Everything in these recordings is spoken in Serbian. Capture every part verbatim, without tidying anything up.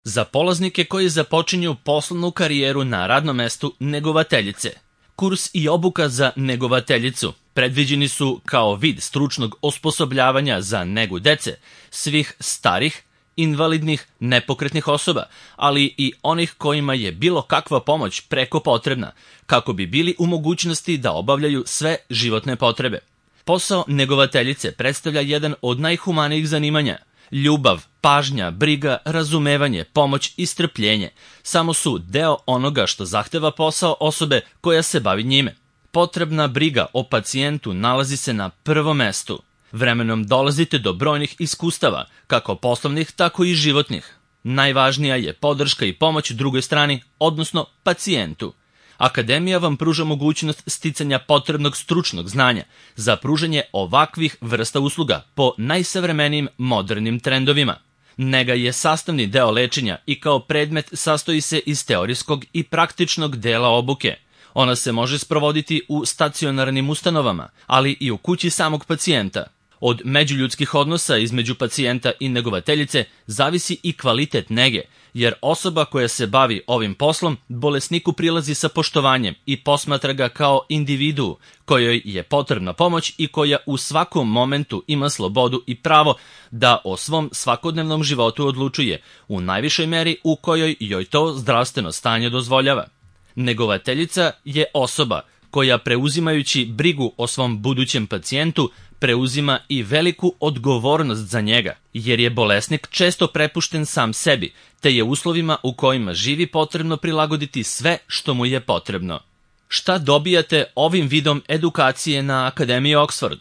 za polaznike koji započinju poslovnu karijeru na radnom mestu negovateljice. Kurs i obuka za negovateljicu predviđeni su kao vid stručnog osposobljavanja za negu dece, svih starih, invalidnih, nepokretnih osoba, ali i onih kojima je bilo kakva pomoć preko potrebna, kako bi bili u mogućnosti da obavljaju sve životne potrebe. Posao negovateljice predstavlja jedan od najhumanijih zanimanja. Ljubav, pažnja, briga, razumevanje, pomoć i strpljenje samo su deo onoga što zahteva posao osobe koja se bavi njime. Potrebna briga o pacijentu nalazi se na prvom mestu. Vremenom dolazite do brojnih iskustava, kako poslovnih, tako i životnih. Najvažnija je podrška i pomoć drugoj strani, odnosno pacijentu. Akademija vam pruža mogućnost sticanja potrebnog stručnog znanja za pružanje ovakvih vrsta usluga po najsavremenijim modernim trendovima. Nega je sastavni deo lečenja i kao predmet sastoji se iz teorijskog i praktičnog dela obuke. Ona se može sprovoditi u stacionarnim ustanovama, ali i u kući samog pacijenta. Od međuljudskih odnosa između pacijenta i negovateljice zavisi i kvalitet nege, jer osoba koja se bavi ovim poslom bolesniku prilazi sa poštovanjem i posmatra ga kao individu kojoj je potrebna pomoć i koja u svakom momentu ima slobodu i pravo da o svom svakodnevnom životu odlučuje u najvišoj meri u kojoj joj to zdravstveno stanje dozvoljava. Negovateljica je osoba koja, preuzimajući brigu o svom budućem pacijentu, preuzima i veliku odgovornost za njega, jer je bolesnik često prepušten sam sebi, te je uslovima u kojima živi potrebno prilagoditi sve što mu je potrebno. Šta dobijate ovim vidom edukacije na Akademiji Oxford?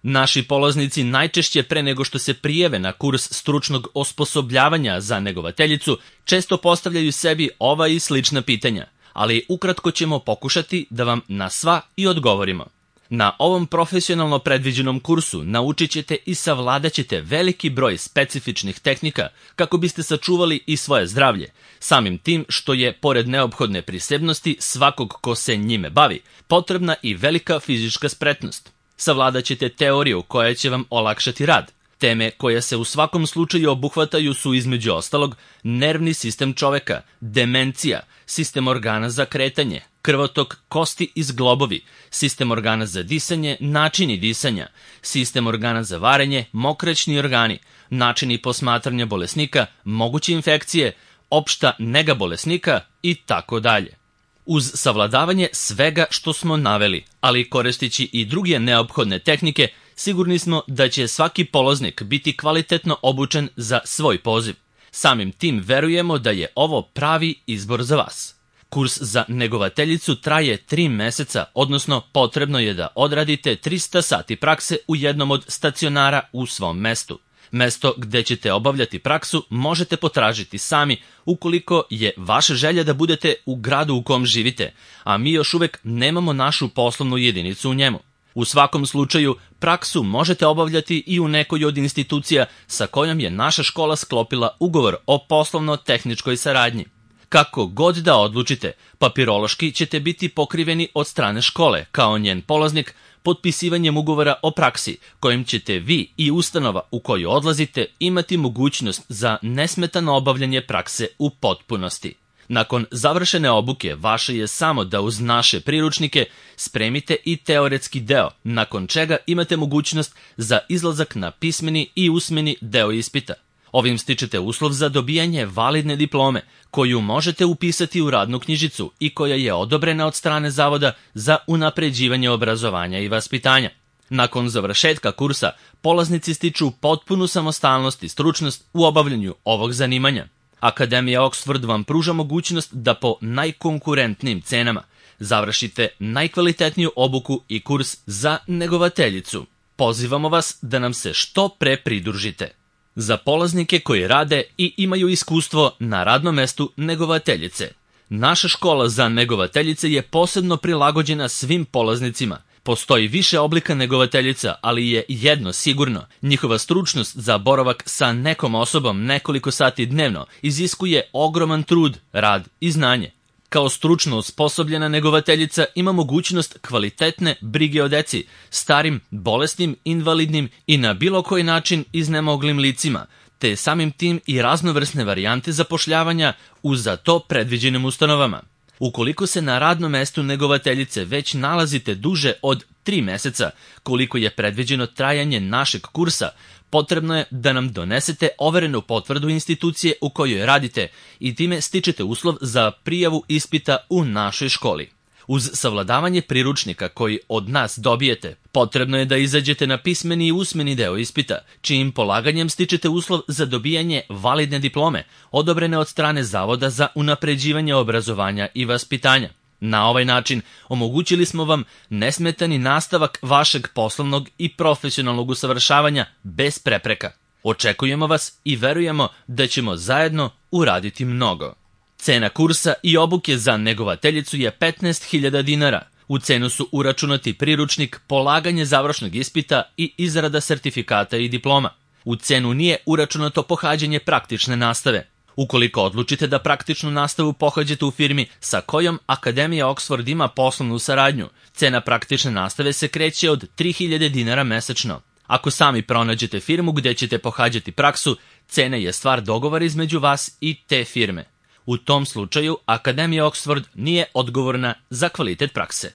Naši polaznici najčešće pre nego što se prijave na kurs stručnog osposobljavanja za negovateljicu često postavljaju sebi ova i slična pitanja, ali ukratko ćemo pokušati da vam na sva i odgovorimo. Na ovom profesionalno predviđenom kursu naučit ćete i savladat ćete veliki broj specifičnih tehnika kako biste sačuvali i svoje zdravlje, samim tim što je, pored neophodne prisebnosti svakog ko se njime bavi, potrebna i velika fizička spretnost. Savladat ćete teoriju koja će vam olakšati rad. Teme koje se u svakom slučaju obuhvataju su između ostalog nervni sistem čoveka, demencija, sistem organa za kretanje, krvotok, kosti i zglobovi, sistem organa za disanje, načini disanja, sistem organa za varenje, mokraćni organi, načini posmatranja bolesnika, moguće infekcije, opšta nega bolesnika i tako dalje. Uz savladavanje svega što smo naveli, ali koristeći i druge neophodne tehnike, sigurni smo da će svaki polaznik biti kvalitetno obučen za svoj poziv. Samim tim verujemo da je ovo pravi izbor za vas. Kurs za negovateljicu traje tri meseca, odnosno potrebno je da odradite trista sati prakse u jednom od stacionara u svom mestu. Mesto gde ćete obavljati praksu možete potražiti sami ukoliko je vaša želja da budete u gradu u kom živite, a mi još uvek nemamo našu poslovnu jedinicu u njemu. U svakom slučaju, praksu možete obavljati i u nekoj od institucija sa kojom je naša škola sklopila ugovor o poslovno-tehničkoj saradnji. Kako god da odlučite, papirološki ćete biti pokriveni od strane škole, kao njen polaznik, potpisivanjem ugovora o praksi, kojim ćete vi i ustanova u koju odlazite imati mogućnost za nesmetano obavljanje prakse u potpunosti. Nakon završene obuke, vaše je samo da uz naše priručnike spremite i teoretski deo, nakon čega imate mogućnost za izlazak na pismeni i usmeni deo ispita. Ovim stičete uslov za dobijanje validne diplome, koju možete upisati u radnu knjižicu i koja je odobrena od strane Zavoda za unapređivanje obrazovanja i vaspitanja. Nakon završetka kursa, polaznici stiču potpunu samostalnost i stručnost u obavljanju ovog zanimanja. Akademija Oxford vam pruža mogućnost da po najkonkurentnijim cenama završite najkvalitetniju obuku i kurs za negovateljicu. Pozivamo vas da nam se što pre pridružite. Za polaznike koji rade i imaju iskustvo na radnom mestu negovateljice. Naša škola za negovateljice je posebno prilagođena svim polaznicima. Postoji više oblika negovateljica, ali je jedno sigurno. Njihova stručnost za boravak sa nekom osobom nekoliko sati dnevno iziskuje ogroman trud, rad i znanje. Kao stručno osposobljena negovateljica ima mogućnost kvalitetne brige o deci, starim, bolesnim, invalidnim i na bilo koji način iznemoglim licima, te samim tim i raznovrsne varijante zapošljavanja u za to predviđenim ustanovama. Ukoliko se na radnom mestu negovateljice već nalazite duže od tri meseca, koliko je predviđeno trajanje našeg kursa, potrebno je da nam donesete overenu potvrdu institucije u kojoj radite i time stičete uslov za prijavu ispita u našoj školi. Uz savladavanje priručnika koji od nas dobijete, potrebno je da izađete na pismeni i usmeni deo ispita, čijim polaganjem stičete uslov za dobijanje validne diplome, odobrene od strane Zavoda za unapređivanje obrazovanja i vaspitanja. Na ovaj način omogućili smo vam nesmetani nastavak vašeg poslovnog i profesionalnog usavršavanja bez prepreka. Očekujemo vas i verujemo da ćemo zajedno uraditi mnogo. Cena kursa i obuke za negovateljicu je petnaest hiljada dinara. U cenu su uračunati priručnik, polaganje završnog ispita i izrada sertifikata i diploma. U cenu nije uračunato pohađanje praktične nastave. Ukoliko odlučite da praktičnu nastavu pohađate u firmi sa kojom Akademija Oxford ima poslovnu saradnju, cena praktične nastave se kreće od tri hiljade dinara mesečno. Ako sami pronađete firmu gdje ćete pohađati praksu, cena je stvar dogovora između vas i te firme. U tom slučaju Akademija Oxford nije odgovorna za kvalitet prakse.